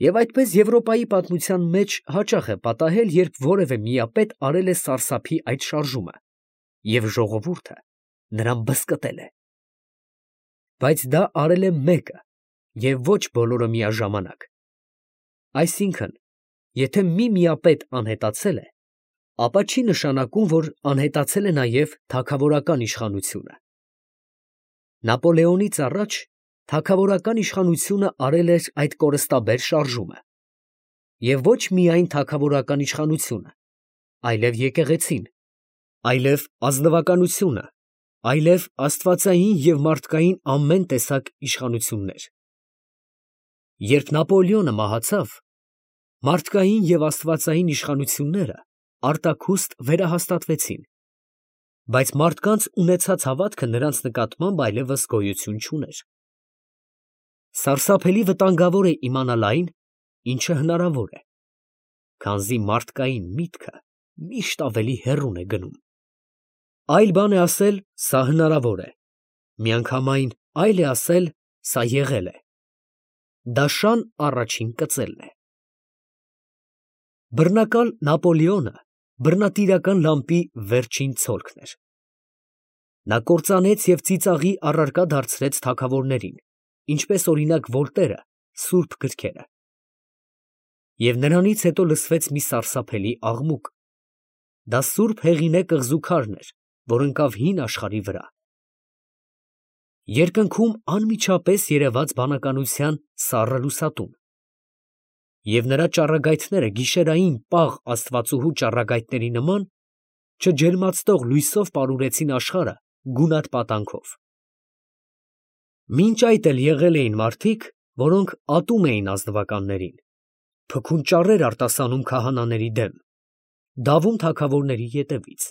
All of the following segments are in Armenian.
Եվ այդպես Եվրոպայի պատմության մեջ հաճախ է պատահել, երբ որևէ միապետ արել է սարսափի այդ շարժումը, և ժողովուրդը նրան բզկտել է։ Բայց դա արել է մեկը, և ոչ բոլորը միաժամանակ։ Այսինքն, եթե մի միապետ անհետացել է, ապա չի նշանակում, որ անհետացել է նաև թագավորական իշխանությունը։ Նապոլեոնից առաջ թագավորական իշխանությունը արել էր այդ կորստաբեր շարժումը, և ոչ միայն թագավորական իշխանությունը, այլև եկեղեցին, այլև ազնվականությունը, այլև աստվածային և մարդկային ամեն տեսակ իշխանություններ։ Երբ Նապոլեոնը մահացավ, մարդկային և աստվածային իշխանությունները արտաքուստ վերահաստատվեցին, բայց մարդկանց ունեցած հավատքը նրանց նկատմամբ այլևս գոյություն չուներ։ Սարսափելի վտանգավոր է իմանալ այն, ինչը հնարավոր է, քանզի մարդկային միտքը միշտ ավելի հեռուն է գնում։ Այլ բան է ասել, սա հնարավոր է, միանգամայն այլ է ասել, սա եղել է։ Դա շան առաջին կծելն է։ Բռնակալ Նապոլեոնը բռնատիրական լամպի վերջին ցոլքն էր։ Նա կործանեց և ծիծաղի առարկա դարձրեց թագավորներին, ինչպես օրինակ Վոլտերը սուրբ գրքերը։ Եվ նրանից հետո լսվեց մի սարսափելի աղմուկ. դա Սուրբ Հեղինե կղզու քարն էր, որ ընկավ հին աշխարհի վրա։ Երկնքում անմիջապես երևաց բանականության սառը լուսատուն, և նրա ճառագայթները գիշերային պաղ աստվածուհու ճառագայթների նման չջերմացնող լույսով պարուրեցին աշխարհը գունատ պատանքով։ Մինչ այդ էլ եղել էին մարդիկ, որոնք ատում էին ազնվականներին, փքուն ճառեր արտասանում քահանաների դեմ, դավում թագավորների ետևից։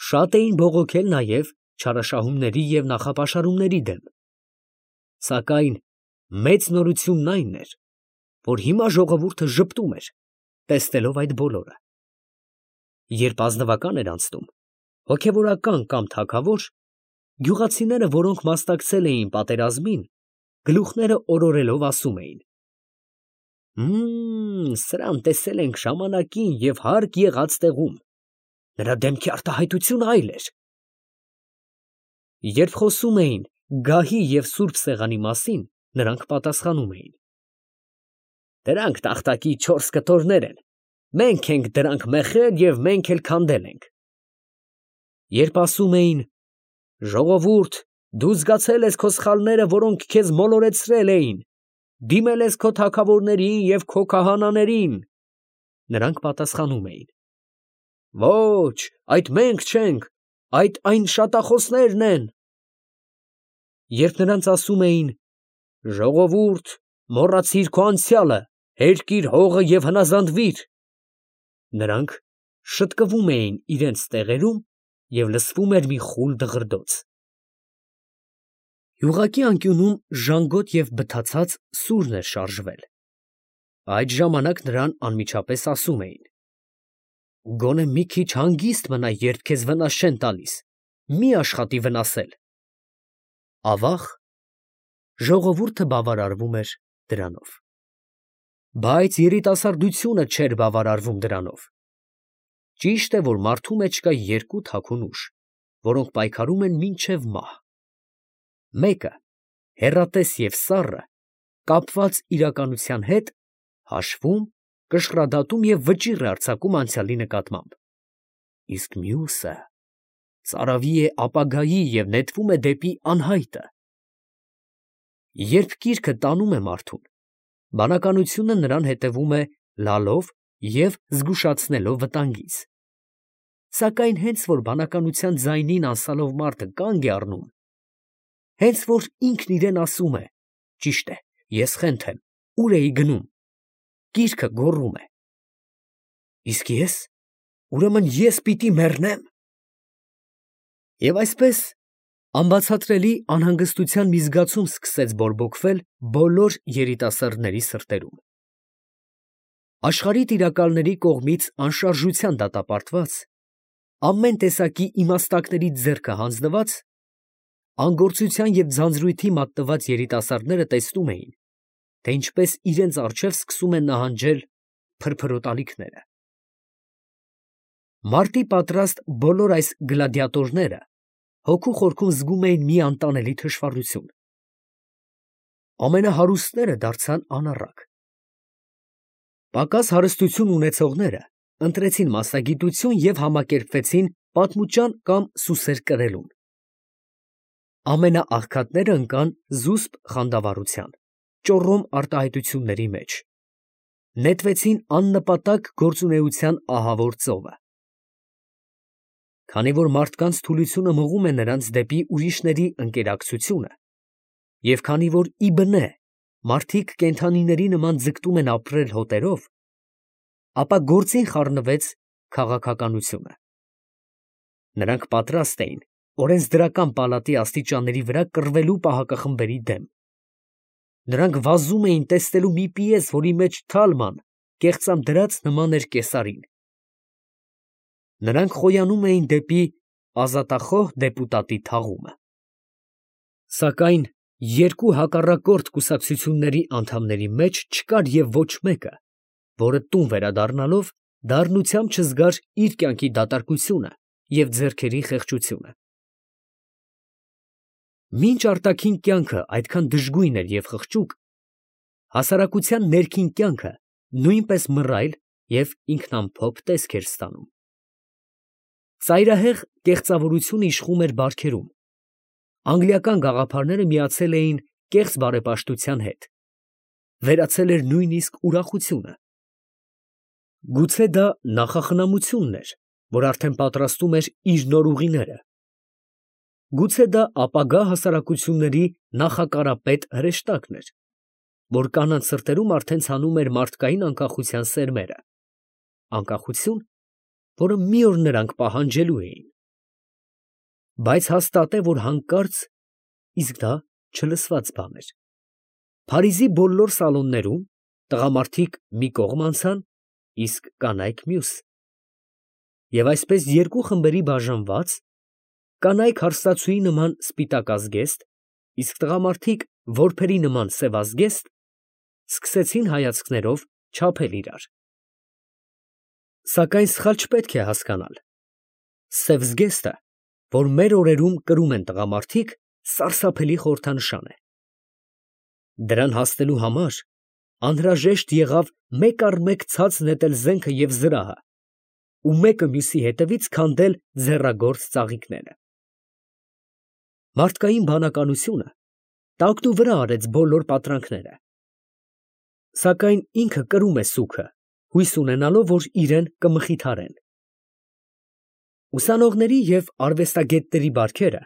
Շատ էին բողոքել նաև չարաշահումների և նախապաշարումների դեմ։ Սակայն մեծ նորությունն այն էր, որ հիմա ժողովուրդը ժպտում էր, տեսնելով այդ բոլորը։ Երբ ազնվական էր անցնում, հոգևորական կամ թագավոր, գյուղացիները, որոնք մասնակցել էին պատերազմին, գլուխները օրորելով ասում էին. սրան տեսել ենք ժամանակին և հարկ եղած տեղում, նրա դեմքի արտահայտությունը այլ էր։ Երբ խոսում էին գահի և սուրբ սեղանի մասին, նրանք պատասխանում էին. դրանք տախտակի 4 կտորներ են, մենք ենք դրանք մեխել և մենք էլ քանդել ենք։ Երբ ասում էին. ժողովուրդ, դու զգացել ես քո սխալները, որոնք քեզ մոլորեցրել էին, դիմել ես քո թագավորներին և քո քահանաներին, նրանք պատասխանում էին. ոչ, այդ մենք չենք, այդ այն շատախոսներն են։ Երբ նրանց ասում էին. ժողովուրդ, մոռացիր քո անցյալը, հերկիր հողը և հնազանդվիր, նրանք շտկվում էին իրենց տեղերում և լսվում էր մի խուլ դղրդոց։ Յուղակի անկյունում ժանգոտ և բթացած սուրն էր շարժվել։ Այդ ժամանակ նրան անմիջապես ասում էին. գոնե մի քիչ հանգիստ մնա, երբ քեզ վնաս չեն տալիս, մի աշխատի վնասել։ Ավաղ, ժողովուրդը բավարարվում էր դրանով։ Բայց երիտասարդությունը չէր բավարարվում դրանով։ Ճիշտ է, որ մարդու մեջ կա երկու թաքուն ուժ, որոնք պայքարում են մինչև մահ։ Մեկը, հեռատես և սառը, կապված իրականության հետ, հաշվում, կշռադատում և վճիռ է արձակում անցյալի նկատմամբ, իսկ մյուսը ծարավի է ապագայի և նետվում է դեպի անհայտը։ Երբ կիրքը տանում է մարդուն, բանականությունը նրան հետևում է լալով և զգուշացնելով վտանգից։ Սակայն հենց որ բանականության ձայնին անսալով մարդը կանգ է առնում, հենց որ ինքն իրան ասում է. ճիշտ է, ես խենթ եմ, ուր էի գնում, կիրքը գոռում է. իսկ ես, ուրեմն ես պիտի մեռնե՞մ։ Եվ այսպես անբացատրելի անհանգստության մի զգացում սկսեց բորբոքվել բոլոր երիտասարդների սրտերում։ Աշխարհի տիրակալների կողմից անշարժության դատապարտված, ամեն տեսակի իմաստակներից ձեռքը հանձնված, անգործության և ձանձրույթի մատնված երիտասարդները տեսնում էին, թե ինչպես իրենց առջև սկսում են նահանջել փրփրոտալիքները։ Մարտի պատրաստ բոլոր այս գլադիատորները հոգու խորքում զգում էին մի անտանելի թշվառություն։ Ամենահարուստները դարձան անառակ։ Պակաս հարստություն ունեցողները ընտրեցին մասնագիտություն և համակերպվեցին պատմուճան կամ սուսեր կրելուն։ Ամենաաղքատները ընկան զուսպ խանդավառության, ճոռոմ արտահայտությունների մեջ, նետվեցին աննպատակ գործունեության ահավոր ծովը։ Քանի որ մարդկանց թուլությունը մղում է նրանց դեպի ուրիշների ընկերակցությունը, և քանի որ ի բնե մարդիկ կենդանիների նման ձգտում են ապրել հոտերով, ապա գործին խառնվեց քաղաքականությունը։ Նրանք պատրաստ էին օրենսդրական պալատի աստիճանների վրա կռվելու պահակախմբերի դեմ։ Նրանք վազում էին տեսնելու մի պիես, որի մեջ Թալման կեղծամ դրած նման էր կեսարին։ Նրանք խոյանում էին դեպի ազատախոհ դեպուտատի թաղումը։ Սակայն երկու հակառակորդ կուսակցությունների անդամների մեջ չկար և ոչ մեկը, որը տուն վերադառնալով դառնությամբ չզգար իր կյանքի դատարկությունը և ձեռքերի խեղճությունը։ Մինչ արտաքին կյանքը այդքան դժգույն էր և խղճուկ, հասարակության ներքին կյանքը նույնպես մռայլ և ինքնամփոփ տեսք էր ստանում։ Ծայրահեղ կեղծավորությունը իշխում էր բարքերում։ Անգլիական գաղափարները միացել էին կեղծ բարեպաշտության հետ, վերացել էր նույնիսկ ուրախությունը։ Գուցե դա նախախնամությունն էր, որ արդեն պատրաստում էր իր նոր ուղիները։ Գուցե դա ապագա հասարակությունների նախակարապետ հրեշտակն էր, որ կանանց սրտերում արդեն ցանում էր մարդկային անկախության սերմերը, անկախություն, որը մի օր նրանք պահանջելու էին։ Բայց հաստատ է, որ հանկարծ, իսկ դա չլսված բան էր, Փարիզի բոլոր սալոններում տղամարդիկ մի կողմ անցան, իսկ կանայք մյուս, և այսպես երկու խմբերի բաժանված, կանայք հարստացուի նման սպիտակ ազգեստ, իսկ տղամարդիկ որբերի նման սև ազգեստ, սկսեցին հայացքներով չափել իրար։ Սակայն սխալ չպետք է հասկանալ. սև զգեստը, որ մեր օրերում կրում են տղամարդիկ, սարսափելի խորհրդանշան է։ Դրան հասնելու համար անհրաժեշտ եղավ մեկ առ մեկ ցած նետել զենքը և զրահը ու մեկը մյուսի հետևից քանդել ձեռագործ ծաղիկները։ Մարդկային բանականությունը տակնուվրա արեց բոլոր պատրանքները։ Սակայն ինքը կրում է սուգը, հույս ունենալով, որ իրեն կմխիթարեն։ Ուսանողների և արվեստագետների բարքերը,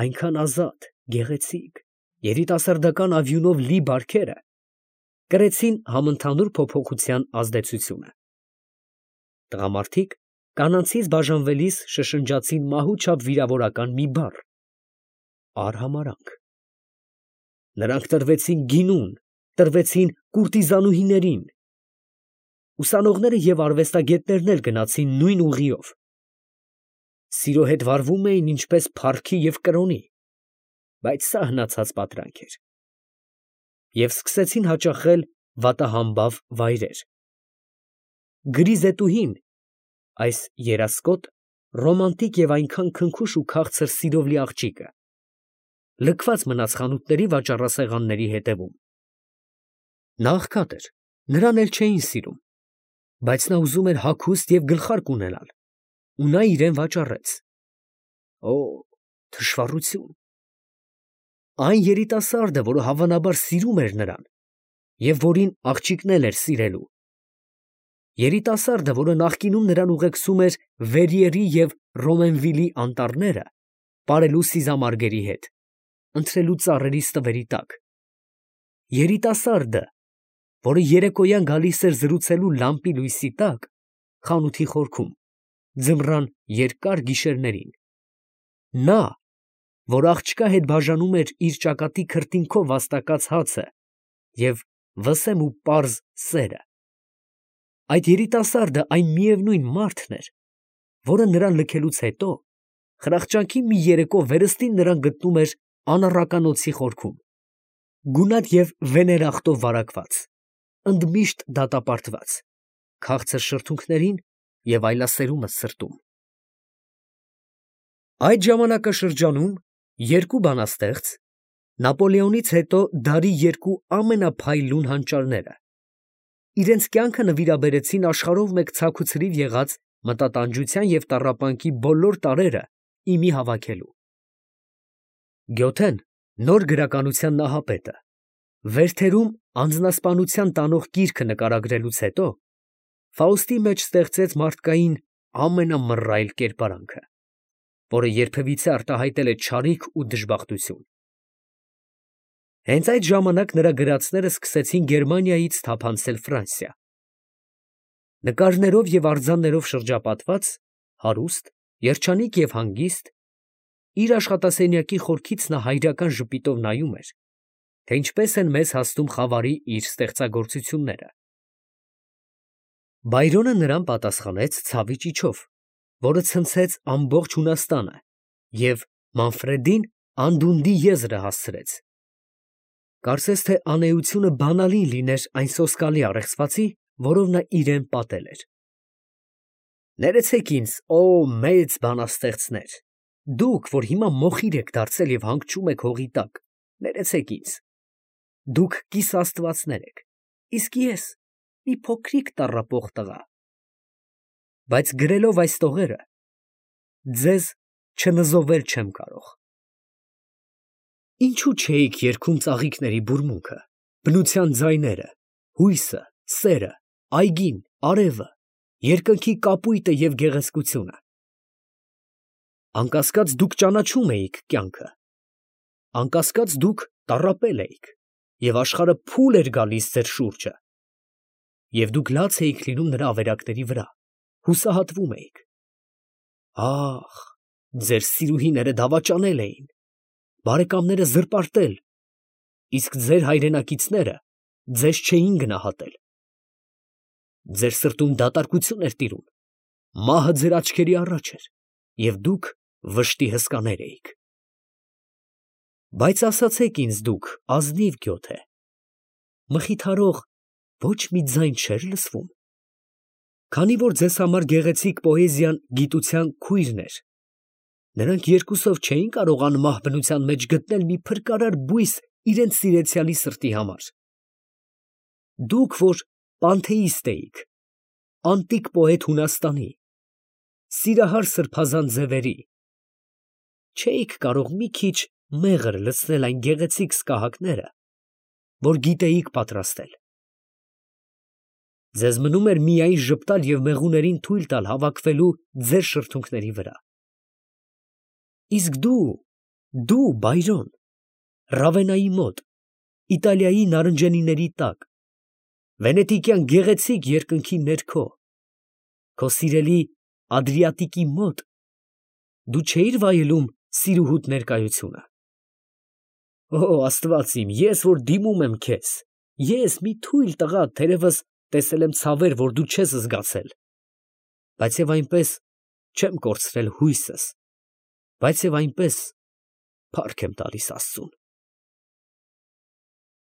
այնքան ազատ, գեղեցիկ, երիտասարդական ավյունով լի բարքերը, կրեցին համընդհանուր փոփոխության ազդեցությունը։ Տղամարդիկ կանանցից բաժանվելիս շշնջացին մահուչափ վիրավորական մի բառ. արհամարհանք։ Նրանք տրվեցին գինուն, տրվեցին կուրտիզանուհիներին։ Ուսանողները և արվեստագետներն էլ գնացին նույն ուղիով։ Սիրո հետ վարվում էին ինչպես փառքի և կրոնի, բայց սա հնացած պատրանք էր։ Եվ սկսեցին հաճախել վատահամբավ վայրեր։ Գրիզետուհին, այս երասկոտ, ռոմանտիկ և այնքան քնքուշ ու քաղցր սիրով լի աղջիկը, լքված մնաց խանութների վաճառասեղանների հետևում։ Նա աղքատ էր, նրան էլ չէին սիրում, բայց նա ուզում էր հագուստ և գլխարկ ունենալ, ու նա իրան վաճառեց։ Օ՜, թշվառություն։ Այն երիտասարդը, որը հավանաբար սիրում էր նրան, և որին աղջիկն էլ էր սիրելու։ Երիտասարդը, որը նախկինում նրան ուղեկցում էր Վերիերի և Ռոմենվիլի անտառները, պարելու սիզամարգերի հետ, ընթրելու ծառերի ստվերի տակ։ Երիտասարդը, որը երեկոյան գալիս էր զրուցելու լամպի լույսի տակ, խանութի խորքում, ձմռան երկար գիշերներին։ Նա, որ աղջկա հետ բաժանում էր իր ճակատի քրտինքով վաստակած հացը և վսեմ ու պարզ սերը։ Այդ երիտասարդը այն միևնույն մարդն էր, որը նրան լքելուց հետո խրախճանքի մի երեկո վերստին նրան գտնում էր անառական օձի խորքում, գունատ և վեներախտով վարակված, ընդմիշտ դատապարտված, քաղցր շրթունքներին և այլասերումս սրտում։ Այդ ժամանակաշրջանում երկու բանաստեղծ, Նապոլեոնից հետո դարի երկու ամենափայլուն հանճարները, իրենց կյանքը նվիրաբերեցին աշխարհով մեկ ցաքուցրիվ եղած մտատանջության և տառապանքի բոլոր տարրերը ի մի հավաքելու։ Գյոթեն, նոր գրականության նահապետը, վերթերում անձնասպանության տանող գիրքը նկարագրելուց հետո Ֆաուստի մեջ ստեղծեց մարդկային ամենամռայլ կերպարանքը, որը երբևիցե արտահայտել է չարիք ու դժբախտություն։ Հենց այդ ժամանակ նրա գրածները սկսեցին Գերմանիայից թափանցել Ֆրանսիա։ Նկարներով և արձաններով շրջապատված, հարուստ, երջանիկ և հանգիստ, իր աշխատասենյակի խորքից նա հայրական ժպիտով նայում էր, թե ինչպես են մեզ հասնում խավարի իր ստեղծագործությունները։ Բայրոնը նրան պատասխանեց ցավի ճիչով, որը ցնցեց ամբողջ Հունաստանը և Մանֆրեդին անդունդի եզրը հասցրեց։ Կարծես թե անէությունը բանալին լիներ այն սոսկալի առեղծվածի, որով նա իրան պատել էր։ Ներեցեք ինձ, օ մեծ բանաստեղծներ, դուք, որ հիմա մոխիր եք դարձել և հանգչում եք հողի տակ, ներեցեք ինձ, դուք կիսաստվածներ եք, իսկ ես մի փոքրիկ տառապող տղա, բայց գրելով այս տողերը, ձեզ չնզովել չեմ կարող։ Ինչո՞ւ չէիք երգում ծաղիկների բուրմունքը, բնության ձայները, հույսը, սերը, այգին, արևը, երկնքի կապույտը և գեղեցկությունը։ Անկասկած դուք ճանաչում էիք կյանքը, անկասկած դուք տառապել էիք, և աշխարհը փուլ էր գալիս ձեր շուրջը, և դուք լաց էիք լինում նրա ավերակների վրա, հուսահատվում էիք։ Ահ, ձեր սիրուհիները դավաճանել էին, բարեկամները զրպարտել, իսկ ձեր հայրենակիցները ձեզ չէին գնահատել։ Ձեր սրտում դատարկություն էր տիրում, մահը ձեր աչքերի առաջ էր, և դուք վշտի հսկաներ էիք։ Բայց ասացեք ինձ դուք, ազնիվ Գյոթե, մխիթարող ոչ մի ձայն չէր լսվում։ Քանի որ ձեզ համար գեղեցիկ պոեզիան գիտության քույրն էր, նրանք երկուսով չէին կարողանում ահ բնության մեջ գտնել մի փրկարար բույս իրենց սիրեցյալի սրտի համար։ Դուք, որ պանթեիստ էիք, անտիկ պոետ Հունաստանի, սիրահար սրբազան ձևերի, չէիք կարող մի քիչ մեղր լցնել այն գեղեցիկ սկահակները, որ գիտեիք պատրաստել։ Ձեզ մնում էր միայն ժպտալ և մեղուներին թույլ տալ հավաքվելու ձեր շրթունքների վրա։ Իսկ դու, Բայրոն, Ռավենայի մոտ, Իտալիայի նարնջենիների տակ, վենետիկյան գեղեցիկ երկնքի ներքո, քո սիրելի Ադրիատիկի մոտ, դու չէիր վայելում սիրուհուդ ներկայությունը։ Օ Աստված իմ, ես որ դիմում եմ քեզ, ես մի թույլ տղա, թերևս տեսել եմ ցավեր, որ դու չես զգացել, բայց և այնպես չեմ կորցրել հույսս, բայց և այնպես փառք եմ տալիս Աստծուն։